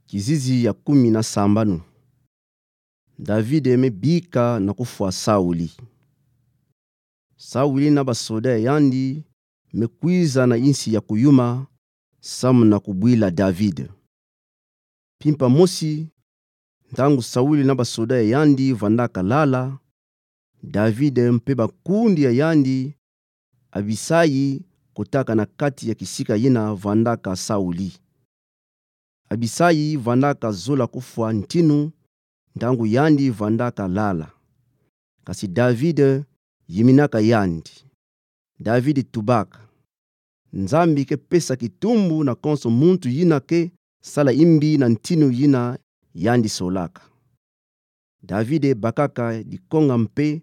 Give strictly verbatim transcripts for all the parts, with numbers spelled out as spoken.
Kizizi ya kumi na sambanu. David me bika na kufwa Sauli. Sauli na basoda ya yandi me kwiza na insi ya kuyuma, samu na kubwila David. Mpimpa mosi, ntangu Sauli na basoda ya yandi vandaka lala, David mpe bakundi ya yandi, Abisai kotaka na kati ya kisika yina vandaka Sauli. Abisai vandaka zola kufwa ntinu, ntangu yandi vandaka lala. Kasi David yiminaka yandi. David tubaka: Nzambi ke pesa kitumbu na konso muntu yina ke sala imbi na ntinu yina yandi solaka. David bakaka dikonga mpe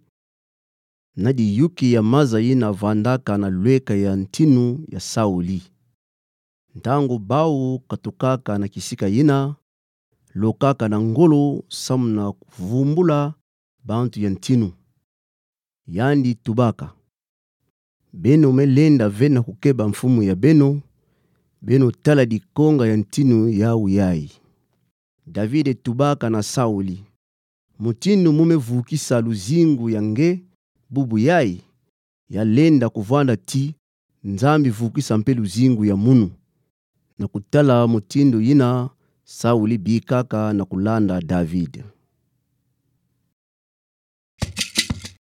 na diyuki ya maza yina vandaka na lweka ya ntinu ya Sauli. Ntangu bau katukaka na kisika yina, lokaka na ngolo samu na kuvumbula bantu ya ntinu. Yandi tubaka: Beno me lenda ve na kukeba mfumu ya beno, beno tala dikonga ya ntinu yau yai. David tubaka na Sauli: Mutindu mu me vukisa luzingu ya nge bubu yai? Ya lenda kuvwanda ti: Nzambi vukisa mpe luzingu ya munu. Na kutala mutindu yina, Sauli bikaka na kulanda David.